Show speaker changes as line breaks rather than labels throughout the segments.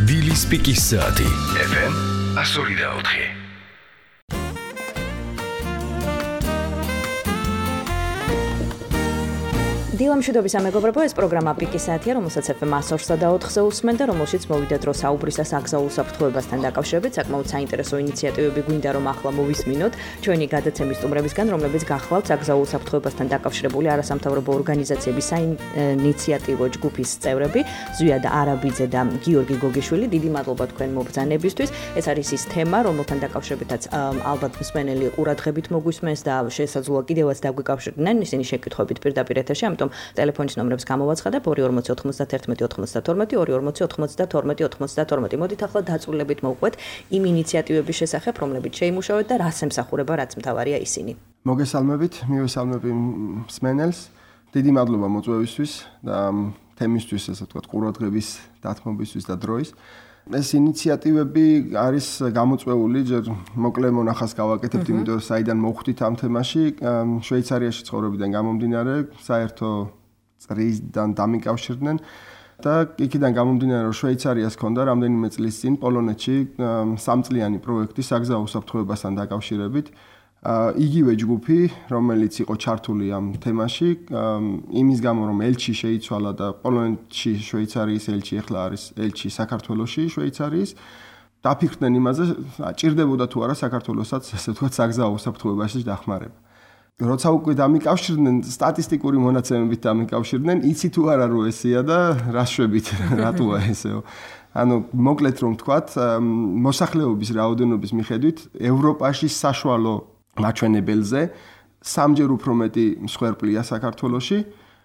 დილის პიკის საათი FM 102.4.
დილამშვიდობის ამეგობრებო, ეს პროგრამა პიკის საათია, რომელსაც FM 104.4-ზე უსმენთ და რომელშიც მოვიდა დრო საუბრისა საგზაო უსაფრთხოებასთან დაკავშირებით. საკმაოდ საინტერესო ინიციატივები გვინდა რომ ახლა მოვისმინოთ ჩვენი გადაცემის სტუმრებისგან, რომლებიც გახლავთ საგზაო უსაფრთხოებასთან დაკავშირებული არასამთავრობო ორგანიზაციების საინიციატივო ჯგუფის წევრები, ზვიად არაბიძე და გიორგი გოგიშვილი. დიდი მადლობა თქვენ მობრძანებისთვის. ეს არის ის თემა, რომელთან დაკავშირებითაც ალბათ მსმენელი ყურადღებით მოგვისმენს და შესაძლოა კიდევაც დაგვიკავშირდნენ ისინი შეკითხვებით პირდაპირ ეთერში. ამიტომ ტელეფონის ნომრებს გამოვაცხადებ 24091 მოდით ახლა დაწვრილებით მოვყვეთ იმ ინიციატივების შესახებ, რომლებიც შეიმუშავეთ და რას ემსახურება, რაც მთავარია ისინი.
მოგესალმებით, მივესალმები მსმენელს. დიდი მადლობა მოწვევისთვის და თემისთვის, ასე ვთქვათ, ყურადღების დათმობისთვის და დროის. ეს ინიციატივები არის გამოწვეული, ჯერ მოკლე მონახას გავაკეთებთ, იმიტომ რომ საიდან მოვხვდით ამ თემაში, შვეიცარიაში ცხოვრებიდან გამომდინარე, საერთო წრისთან დამიკავშირდნენ და იქიდან გამომდინარე, რომ შვეიცარიას ჰქონდა რამდენიმე წლის წინ პოლონეთში სამწლიანი პროექტი საგზაო უსაფრთხოებასთან დაკავშირებით. იგივე ჯგუფი, რომელიც იყო ჩართული ამ თემაში, იმის გამო რომ ელჩი შეიცვალა და პოლონეთში შვეიცარიის ელჩი ახლა არის ელჩი საქართველოში შვეიცარიის, დაფიქრდნენ იმაზე, ჭირდებოდა თუ არა საქართველოსაც, ასე ვთქვათ, საგზაო უსაფრთხოებაში დახმარება. როცა უკვე დამიკავშირდნენ, სტატისტიკური მონაცემებით დამიკავშირდნენ, იცი თუ არა რომ ესეა და რა შვებით, რატოა ესეო. ანუ მოკლედ რომ ვთქვათ, მოსახლეობის რაოდენობის მიხედვით ევროპაში საშუალო მაჩვენებელზე სამჯერ უფრო მეტი მსხვერპლია საქართველოში.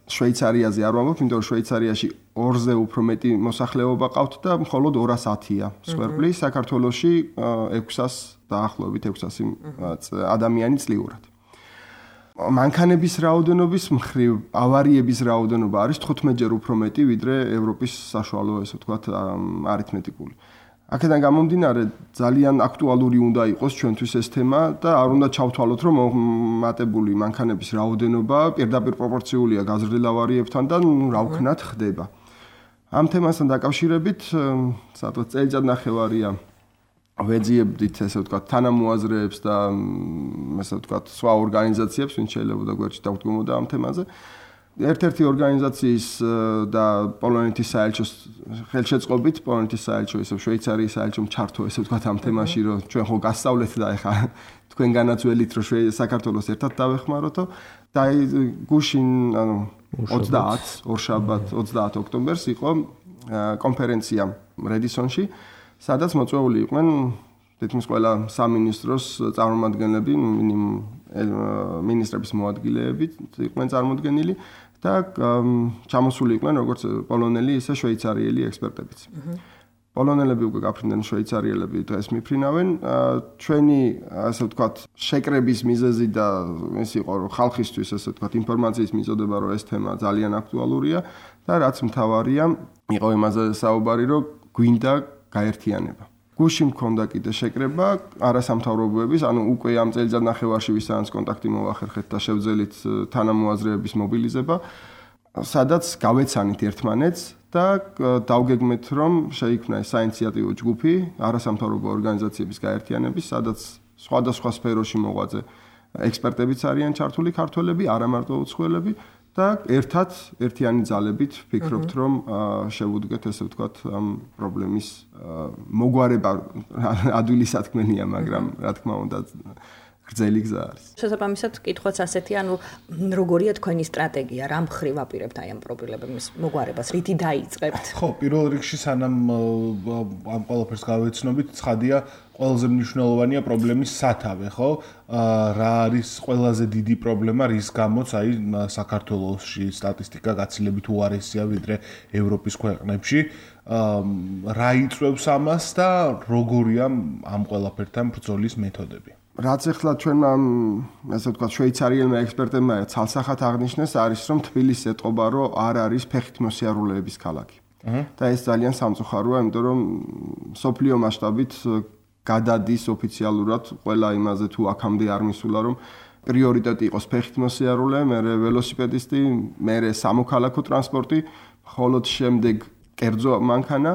შვეიცარიაზე არ ვამბობ, იმიტომ რომ შვეიცარიაში 2-ზე უფრო მეტი მოსახლეობა ყავთ და მხოლოდ 210-ია მსხვერპლი, საქართველოში 600 დაახლოებით 600 ადამიანი წლიურად. მანქანების რაოდენობის მხრივ ავარიების რაოდენობა არის 15-ჯერ უფრო მეტი, ვიდრე ევროპის საშუალო, ესე ვთქვათ, არითმეტიკული. აქედან გამომდინარე, ძალიან აქტუალური უნდა იყოს ჩვენთვის ეს თემა და არ უნდა ჩავთვალოთ, რომ მომატებული მანქანების რაოდენობა პირდაპირ პროპორციულია გაზრდილ ავარიებთან და რა ვქნათ ხდება. ამ თემასთან დაკავშირებით, სადღაც წელიწადნახევარია ვეძიებდით, ესე ვთქვათ, თანამოაზრეებს და ესე ვთქვათ, სხვა ორგანიზაციებს, ვინც შეიძლება გვერდში დაგვდგომოდა ამ თემაზე. ერთ-ერთი ორგანიზაციის და პოლონეთის საელჩოს ხელშეწყობით, პოლონეთის საელჩო, ისე შვეიცარიის საელჩომ ჩართო, ესე ვთქვათ, ამ თემაში, რომ ჩვენ ხო გასწავლეთ და ეხა თქვენგანაც ველით, რომ საქართველოს ერთად დავეხმაროთო და გუშინ, ანუ 20 ორშაბათ 20 ოქტომბერს იყო კონფერენცია რედისონში, სადაც მოწვეული იყვნენ თითქმის ყველა სამინისტროს წარმომადგენლები, მინისტრების მოადგილეები იყვნენ წარმოდგენილი და ჩამოსული იყვნენ როგორც პოლონელი, ისე შვეიცარიელი ექსპერტებიც. პოლონელები უკვე გაფრინდნენ, შვეიცარიელები დღეს მიფრინავენ. ჩვენი, ასე ვთქვათ, შეკრების მიზეზი და ეს იყო, რომ ხალხისთვის, ასე ვთქვათ, ინფორმაციის მიწოდება, რომ ეს თემა ძალიან აქტუალურია და რაც მთავარია, იყო იმაზე საუბარი, რომ გვინდა გაერთიანება. გუშინ მქონდა კიდე შეკრება არასამთავრობოების, ანუ უკვე ამ წელიწადნახევარში ვისაც კონტაქტი მოვახერხეთ და შევძელით თანამოაზრეების მობილიზება, სადაც გავეცანით ერთმანეთს და დავგეგმეთ, რომ შეიქმნა საინიციატივო ჯგუფი არასამთავრობო ორგანიზაციების გაერთიანების, სადაც სხვადასხვა სფეროში მოღვაწე ექსპერტებიც არიან ჩართული, ქართველები, არა მარტო უცხოელები და ერთად ერთიანი ძალებით ვფიქრობთ, რომ შევუდგეთ, ესე ვთქვათ, ამ პრობლემის მოგვარება ადვილი სათქმელია, მაგრამ რა თქმა უნდა გრძელი გზა არის.
შესაბამისად, კითხვაც ასეთი, ანუ როგორია თქვენი სტრატეგია, რა მხრივ აპირებთ აი ამ პრობლემების მოგვარებას, რითი დაიწყებთ?
ხო, პირველ რიგში სანამ ამ ყველაფერს გავეცნობით, ცხადია, ყველაზე მნიშვნელოვანია პრობლემის სათავე, ხო? რა არის ყველაზე დიდი პრობლემა, რის გამოც აი საქართველოში სტატისტიკა გაცილებით უარესია ვიდრე ევროპის ქვეყნებში. რა იწვევს ამას და როგორია ამ ყველაფერთან ბრძოლის მეთოდები?
რაც ახლა ჩვენმა, ასე ვთქვათ, შვეიცარიელმა ექსპერტებმა ცალსახად აღნიშნეს, არის რომ თბილისი ეტყობა, რომ არ არის ფეხით მოსიარულეების ქალაქი. და ეს ძალიან სამწუხაროა, იმიტომ რომ სოფლიო მასშტაბით გადადის ოფიციალურად ყველა იმაზე თუ აქამდე არ მისულა, რომ პრიორიტეტი იყოს ფეხით მოსიარულე, მერე ველოსიპედისტი, მერე სამოქალაქო ტრანსპორტი, ხოლო შემდეგ კერძო მანქანა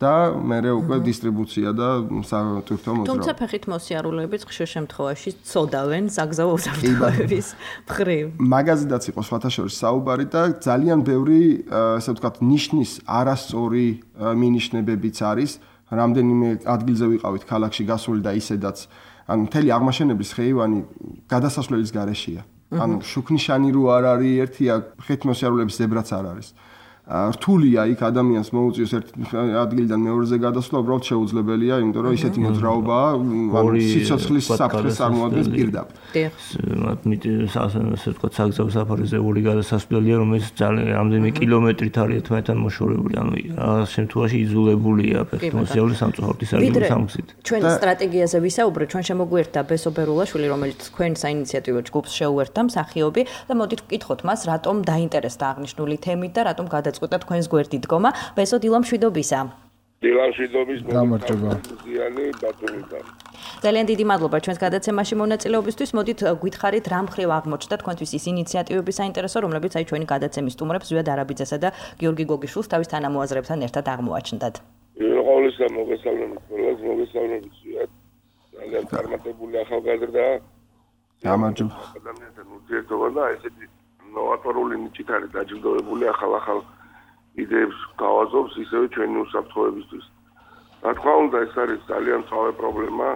და მერე უკვე დისტრიბუცია და სატვირთო მოძრაობა.
თუმცა ფეხით მოსიარულეებიც ხშირ შემთხვევაში წოდავენ საგზაო უსაფრთხოების მხრივ.
მაგაზიდაც იყო სხვათა შორის საუბარი და ძალიან ბევრი, ასე ვთქვათ, ნიშნის არასწორი მინიშნებებიც არის. რამდენიმე ადგილზე ვიყავით ქალაქში გასული და ისედაც ანუ მთელი აღმაშენებლის ხეივანი გადასასვლელის გარეშეა. ანუ შუქნიშანი რო არ არის, ერთია ფეხით მოსიარულეების ზებრაც არ არის. რთულია იქ ადამიანს მოუწიოს ერთ ადგილიდან მეორეზე გადასვლა, უბრალოდ შეუძლებელია, იმიტომ რომ ისეთი მოძრაობაა, ანუ სიცოცხლის საფრთხეს წარმოადგენს პირდაპირ.
ასე ვთქვათ, საგზაო საფარიზეული გადასასვლელია, რომელიც ძალიან რამდენიმე კილომეტრით არის ერთმანეთთან მოშორებული, ანუ რაღაც შემთხვევაში იძულებულია ფეხით მოსიარულე სამწუხაროდ ისარგებლოს სამგზით.
ჩვენ სტრატეგიაზე ვისაუბრეთ, ჩვენ შემოგვიერთდა ბესო ბერულაშვილი, რომელიც თქვენ საინიციატივო ჯგუფს შეუერთდა მსახიობი და მოდით ვკითხოთ მას, რატომ დაინტერესდა აღნიშნული თემით და რატომ გადაწყვიტა თქვენს გვერდით დგომა. ბესო, დილამშვიდობისა.
დილამშვიდობის
გამარჯობა.
ძალიან დიდი მადლობა ჩვენს გადაცემაში მონაწილეობისთვის. მოდით გვითხარით, რა მხრივ აღმოჩნდა თქვენთვის ის ინიციატივები საინტერესო, რომლებიც აი ჩვენი გადაცემის სტუმრებს ზვიად არაბიძესა და გიორგი გოგიშვილს თავის თანამოაზრებთან ერთად აღმოაჩნდათ.
ყოვლისა მოგესალმებით ყველას, მოგესალმებით ზვიად. ძალიან წარმატებული ახალგაზრდა.
გამარჯობა.
ადამიანთან ურთიერთობა და ესეთი ნოვატორული ნიჭით არის დაჯილდოებული ახალ იდეებს გავაზობს ისევე ჩვენი უსაფრთხოებისთვის. რა თქმა უნდა, ეს არის ძალიან მწვავე პრობლემა.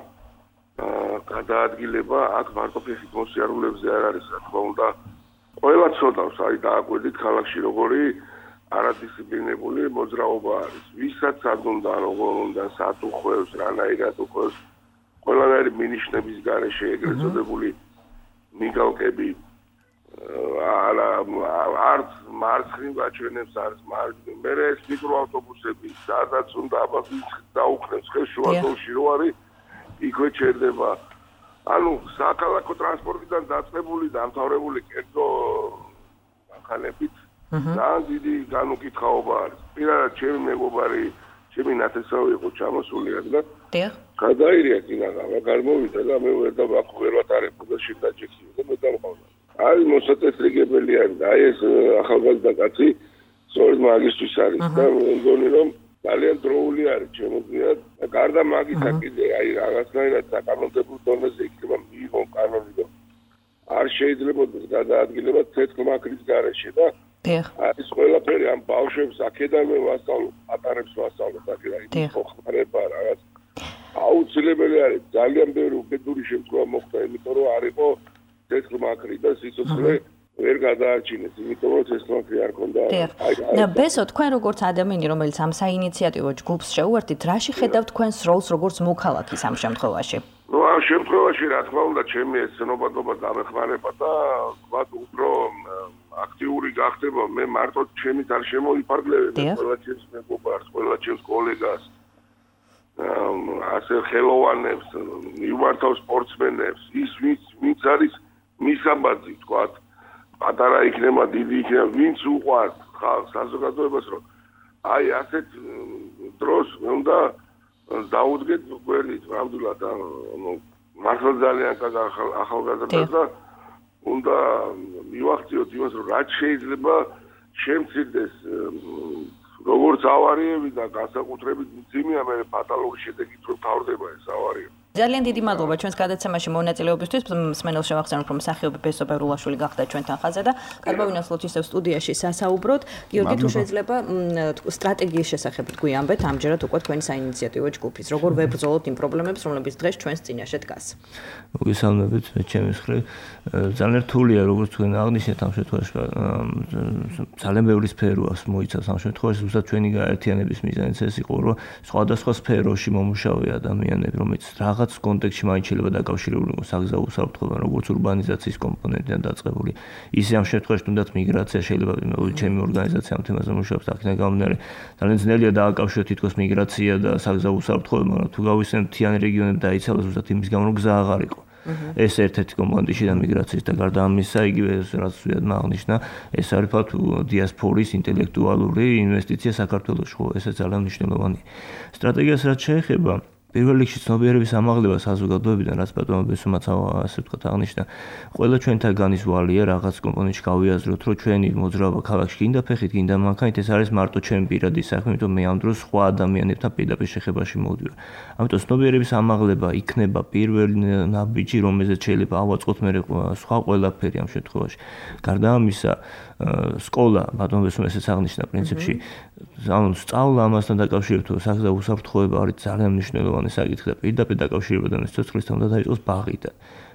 გადაადგილება აქ მარტო ფეხით მოსიარულეებზე არ არის, რა თქმა უნდა. ყველა ცოდავს, აი დააკვირდით ქალაქში როგორი არადისციპლინებული მოძრაობა არის. ვისაც არ უნდა, როგორ უნდა, სად უხვევს, რანაირად უხვევს. ყველანაირი მინიშნების გარეშე ეგრეთ წოდებული მიგალკები არც მარცხნივ გაჩვენებს, არც მარჯვნივ. მე ეს მიკროავტობუსები, სადაც უნდა აბაზის დაუხნევს ხეს შუადოლში რო არის, იქვე ჩერდება. ანუ საქალაქო ტრანსპორტიდან დაწყებული და დამთავრებული კერძო მანქანებით ძალიან დიდი განუკითხაობა არის. პირადად ჩემი მეგობარი, ჩემი ნათესავი იყო ჩამოსული და გადაირია კინაღა, გამოვიდა და მე ვერ ვატარებ და შედაჯექი და მე დამყავდა. არის მოსაწესრიგებელი არის და აი ეს ახალგაზრდა კაცი სწორედ მაგისტრის არის და მგონი რომ ძალიან დროული არის შემოგვია და გარდა მაგისა კიდე აი რაღაცნაირად საკანონმდებლო დონეზე იქნება მიიღონ კანონი და არ შეიძლება გადაადგილება ცეცხლმაქრის გარეშე და არის ყველაფერი ამ ბავშვებს აქედანვე ვასწავლო, ატარებს ვასწავლო და აი ხმარება რაღაც აუცილებელი არის ძალიან ბევრი უკიდური შემთხვევა მოხდა, იმიტომ რომ არ იყო ცეცხლმაქრი და სიცოცხლე ვერ გადაარჩინეს, იმიტომ რომ ცეცხლმაქრი არ ქონდა.
და ბესო, თქვენ როგორც ადამიანი, რომელიც ამ საინიციატივო ჯგუფს შეუერთით, რაში ხედავთ თქვენს როლს როგორც მოქალაქის ამ შემთხვევაში?
ნუ ამ შემთხვევაში რა თქმა უნდა, ჩემი ეცნობადობა დამეხმარება და ვთქვათ, უფრო აქტიური გახდება. მე მარტო ჩემით არ შემოიფარგლებ, ყველა ჩემს მეგობარს, ყველა ჩემს კოლეგას, ასე ხელოვანებს, მიმართავ სპორტსმენებს, ის ვინც არის მისაბაძი, ვთქვათ, პატარა იქნება, დიდი იქნება, ვინც უყვართ ხალხს, საზოგადოებას, რომ აი ასეთ დროს მე უნდა დაუდგეთ გვერდით, ნამდვილად, მართლა ძალიან კარგი ახალგაზრდა და უნდა მივახციოთ იმას, რომ რაც შეიძლება შემცირდეს როგორც ავარიები და განსაკუთრებით მძიმეა მე ფატალური შედეგით რომ თავდება ეს ავარია.
ძალიან დიდი მადლობა ჩვენს გადაცემაში მონაწილეობისთვის. მსმენელს შევახსენებ, რომ მსახიობი ბესო ბერულაშვილი გახდა ჩვენთან ხაზზე და კარბავინასლოთ ისევ სტუდიაში სასაუბროთ. გიორგი, თუ შეიძლება სტრატეგიის შესახებ გვიამბეთ ამჯერად უკვე თქვენი საინიციატივო ჯგუფის. როგორ ვებრძოლოთ იმ პრობლემებს, რომლებიც დღეს ჩვენს წინაშე დგას.
მოგესალმებით ჩემი მხრივ. ძალიან რთულია, როგორც თქვენ აღნიშნეთ ამ შემთხვევაში. ძალიან ბევრი სფერო აქვს მოიცავს ამ შემთხვევაში, ზუსტად ჩვენი გაერთიანების მიზანიც ეს იყო, რომ სხვადასხვა სფეროში მომუშავე ადამიანები, რომელიც რაღაც კონტექსტში მაინც შეიძლება დაკავშირებული იყოს საგზაო უსაფრთხოებთან, როგორც ურბანიზაციის კომპონენტიდან დაწყებული. ისე ამ შემთხვევაში თუნდაც მიგრაცია შეიძლება ჩემი ორგანიზაცია ამ თემაზე მუშაობს, აქედან გამომდინარე ძალიან ძნელია დააკავშიროთ თითქოს მიგრაცია და საგზაო უსაფრთხოება, მაგრამ თუ გავიხსენებთ მთიანი რეგიონები დაიცალა ზუსტად იმის გამო, რომ გზა აღარ იყო. ეს ერთ-ერთი კომპონენტი შიდა მიგრაციის და გარდა ამისა, იგივე რაც ვიადმა აღნიშნა, ეს არის ფაქტ დიასპორის ინტელექტუალური ინვესტიცია საქართველოში, ხო, ესე ძალიან მნიშვნელოვანია. სტრატეგიას რაც შეეხება პირველ რიგში ცნობიერების ამაღლება საზოგადოებიდან, რაც ბატონო ბესუმაც ასე ვთქვათ აღნიშნა, ყველა ჩვენთაგანის ვალია რაღაც კომპონენტში გავიაზროთ, რომ ჩვენი მოძრაობა ქალაქში გინდა ფეხით, გინდა მანქანით, ეს არის მარტო ჩემი პირადი საქმე, იმიტომ მე ამ დროს სხვა ადამიანებთან პირდაპირ შეხებაში მოვდივარ. ამიტომ ცნობიერების ამაღლება იქნება პირველი ნაბიჯი, რომელზეც შეიძლება ავაწყოთ მე სხვა ყველაფერი ამ შემთხვევაში. გარდა ამისა, სკოლა, ბატონო ბესუმ ესეც აღნიშნა პრინციპში, ანუ სწავლა ამასთან დაკავშირებით საქმე უსაფრთხოება არის ძალიან მნიშვნელოვანი საკითხი და პირდაპირ დაკავშირებოდა სიცოცხლესთან და დაიწყოს ბაღიდან.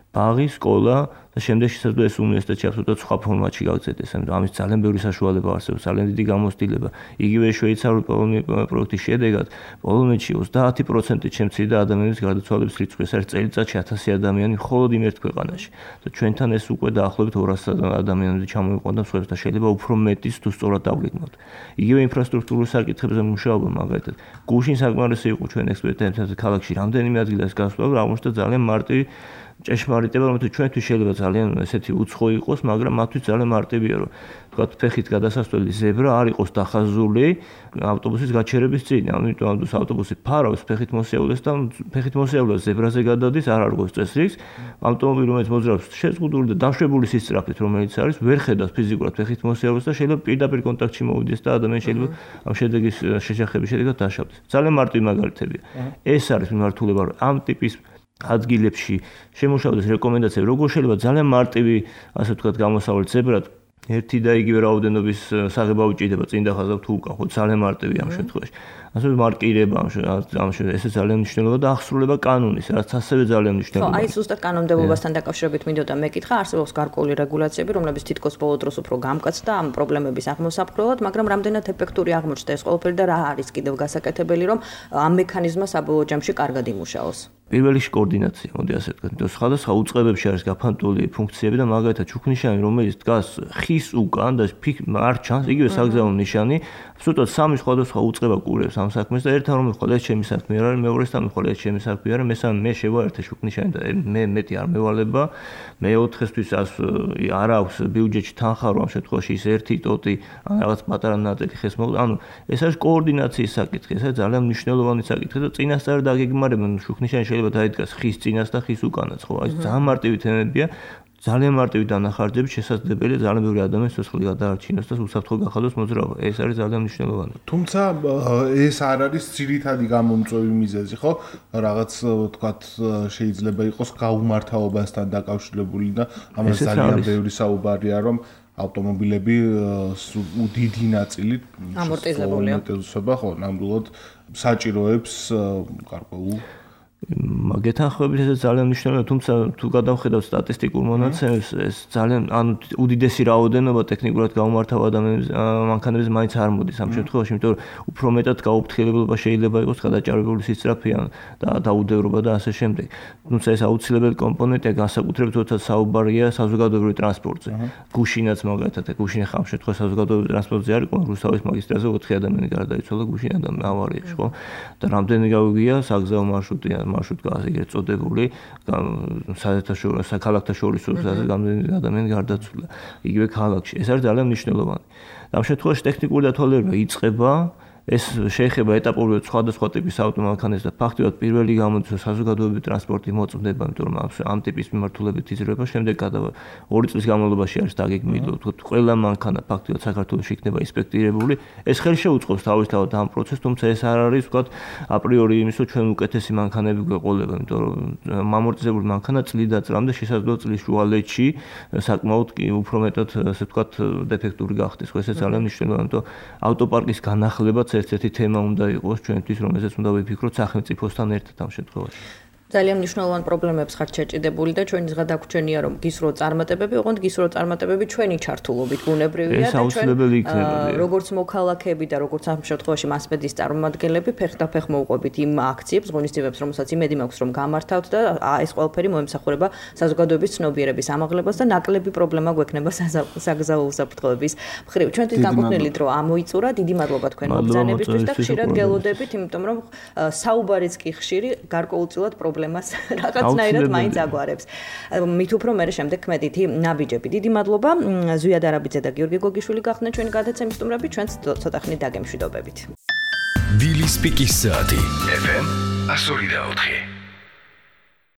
ბაღი, სკოლა და შემდეგ შესაძლოა ეს უნივერსიტეტში აბსოლუტურად სხვა ფორმატში გავწედდეს, ამიტომ ამის ძალიან ბევრი საშუალება არსებობს, ძალიან დიდი გამოცდილება. იგივე შვეიცარიული პროექტის შედეგად პოლონეთში 30% შემცირდა ადამიანების გარდაცვალების რიცხვი, ეს არის წელიწადში 1000 ადამიანი მხოლოდ იმ ერთ ქვეყანაში. და ჩვენთან ეს უკვე დაახლოებით 200 ადამიანები ჩამოიყვანდა და მსხვერპლს და შეიძლება უფრო მეტის თუ სწორად დავგეგმოთ. იგივე ინფრასტრუქტურულ საკითხებზე მუშაობა მაგალითად. გუშინ საკმარისი იყო ჩვენ ექსპერტებთან ქალაქში რამდენიმე ადგილას გასვლა, აღმოჩნდა ძალიან მარტივი ჭეშმარიტება, რომ ჩვენთვის შეიძლება ძალიან ესეთი უცხო იყოს, მაგრამ მათთვის ძალიან მარტივია, რომ თქვათ ფეხით გადასასვლელი ზებრა არ იყოს დახაზული ავტობუსის გაჩერების წინ. ამიტომ ამ დროს ავტობუსი ფარავს ფეხით მოსიარულეს და ფეხით მოსიარულეს ზებრაზე გადადის, არ არგოს წესრიგს. ავტომობილი რომელიც მოძრაობს შეზღუდული და დაშვებული სისწრაფით, რომელიც არის, ვერ ხედავს ფიზიკურად ფეხით მოსიარულეს და შეიძლება პირდაპირ კონტაქტში მოვიდეს და ადამიანი შეიძლება ამ შედეგის შეჯახების შედეგად დაშავდეს. ძალიან მარტივი მაგალითებია. ეს არის მიმართულება, რომ ამ ტიპის ადგილებში შემოშავდეს რეკომენდაციები, როგორ შეიძლება ძალიან მარტივი, ასე ვთქვათ, გამოსავალ ზებრად ერთი და იგივე რაოდენობის საღება უჭირდება წინ და ხაზავ თუ უკან, ხო ძალიან მარტივია ამ შემთხვევაში. ასე მარკირება ამ ესე ძალიან მნიშვნელოვანია და აღსრულება კანონის, რაც ასევე ძალიან მნიშვნელოვანია.
ხო, აი ზუსტად კანონმდებლობასთან დაკავშირებით მინდოდა მეკითხა, არსებობს გარკვეული რეგულაციები, რომლებიც თითქოს ბოლო დროს უფრო გამკაცდა ამ პრობლემების აღმოსაფრთხებლად, მაგრამ რამდენად ეფექტური აღმოჩნდა ეს ყველაფერი და რა არის კიდევ გასაკეთებელი, რომ ამ მექანიზმმა საბოლოო ჯამში კარგად იმუშაოს.
პირველ რიგში კოორდინაცია, მოდი ასე ვთქვათ, იმიტომ სხვადასხვა უწყებებში არის გაფანტული ფუნქციები და მაგალითად ჩუქნიშანი, რომელიც დგას ხის უკან და არ ჩანს, იგივე საგზავნო ნიშანი, აბსოლუტურად სამი სხვადასხვა უწყება კურებს ამ საქმეს და ერთთან რომ მიხვალ ეს ჩემი საქმე არ არის, მეორესთან მიხვალ ეს ჩემი საქმე არ არის, მესამე მე შევაერთე ჩუქნიშანი და მე მეტი არ მევალება, მეოთხესთვის არ აქვს ბიუჯეტში თანხა, რომ ამ შემთხვევაში ის ერთი ტოტი ან რაღაც პატარა ნაწილი ხეს მოვდა, ანუ ეს არის კოორდინაციის საკითხი, ეს არის ძალიან მნიშვნელოვანი საკითხი და წინასწარ დაგეგმარებენ ჩუქნიშანი შეიძლება დაიდგას ხის წინას და ხის უკანაც, ხო? აი ძალიან მარტივი თემებია, ძალიან მარტივი დანახარჯებით შესაძლებელია ძალიან ბევრი ადამიანის სიცოცხლე გადაარჩინოს და უსაფრთხო გახადოს მოძრაობა. ეს არის ძალიან მნიშვნელოვანი.
თუმცა ეს არ არის ძირითადი გამომწვევი მიზეზი, ხო? რაღაც ვთქვათ, შეიძლება იყოს გაუმართავობასთან დაკავშირებული და ამას ძალიან ბევრი საუბარია, რომ ავტომობილები დიდი ნაწილი
ამორტიზებულია.
ხო, ნამდვილად საჭიროებს გარკვეულ
გეთანხმებით ეს ძალიან მნიშვნელოვანია, თუმცა თუ გადავხედავთ სტატისტიკურ მონაცემებს, ეს ძალიან ანუ უდიდესი რაოდენობა ტექნიკურად გაუმართავ ადამიანების მანქანების მაინც არ მოდის ამ შემთხვევაში, იმიტომ რომ უფრო მეტად გაუფრთხილებლობა შეიძლება იყოს გადაჭარბებული სისწრაფე და დაუდევრობა და ასე შემდეგ. თუმცა ეს აუცილებელი კომპონენტია, განსაკუთრებით როცა საუბარია საზოგადოებრივ ტრანსპორტზე. გუშინაც მაგალითად, გუშინ ხამ შემთხვევაში საზოგადოებრივ ტრანსპორტზე არ იყო, რუსთავის მაგისტრალზე 4 ადამიანი გარდაიცვალა გუშინ ავარიაში, ხო? და რამდენი გავიგია საგზაო მარშრუტი მარშრუტკა ეგრეთ წოდებული საქალაქთა შორის რამდენი ადამიანი გარდაცვლა იგივე ქალაქში. ეს არის ძალიან მნიშვნელოვანი. ამ შემთხვევაში ტექნიკური დათვალიერება იწყება, ეს შეეხება ეტაპობრივად სხვადასხვა ტიპის ავტომანქანებს და ფაქტობრივად პირველი გამოდის საზოგადოებრივი ტრანსპორტი მოწმდება, იმიტომ რომ ამ ტიპის მიმართულებით იზრდება, შემდეგ 2 წლის განმავლობაში არის დაგეგმილი, თქო, ყველა მანქანა ფაქტობრივად საქართველოში იქნება ინსპექტირებული. ეს ხელი შეუწყობს თავისთავად ამ პროცესს, თუმცა ეს არ არის, ვთქვათ, აპრიორი იმის, რომ ჩვენ უკეთესი მანქანები გვეყოლება, იმიტომ რომ ამორტიზებული მანქანა წლიდან წლამდე შესაძლოა წლის შუალედში საკმაოდ უფრო მეტად, ასე ვთქვათ, დეფექტური გახდეს. ხო, ეს ძალიან მნიშვნელოვანია, იმიტომ ავტოპარკის განახლებაც ერთ-ერთი თემა უნდა იყოს ჩვენთვის, რომელზეც უნდა ვიფიქროთ სახელმწიფოსთან ერთად ამ შემთხვევაში.
ძალიან მნიშვნელოვან პრობლემებს ხართ შეჭიდებული და ჩვენი ზღადაგვრჩენია რომ გისრო წარმატებები, ოღონდ გისრო წარმატებები ჩვენი ჩართულობით ბუნებრივია
და ჩვენ
როგორც მოქალაქეები და როგორც ამ შემთხვევაში მასმედიის წარმომადგენლები ფეხდაფეხ მოვყვებით იმ აქციებს, ღონისძიებებს, რომელსაც იმედი მაქვს რომ გამართავთ და ეს ყველაფერი მოემსახურება საზოგადოების ცნობიერების ამაღლებას და ნაკლები პრობლემა გვექნება საგზაო უსაფრთხოების მხრივ. ჩვენთვის განკუთვნილი დრო ამოიწურა, დიდი მადლობა თქვენ მოგზაურობისთვის და ხშირად გელოდებით, იმიტომ რომ საუბარიც კი ხშირი გარკვეულწილად პრობლემას რაღაცნაირად მაინც აგვარებს. მით უფრო მე შემდეგ ქმედითი ნაბიჯები. დიდი მადლობა ზვიად არაბიძე და გიორგი გოგიშვილი გახდნენ ჩვენი გადაცემის სტუმრები, ჩვენც ცოტა ხნით დაგემშვიდობებით.
დილის პიკის საათი FM FM 102.4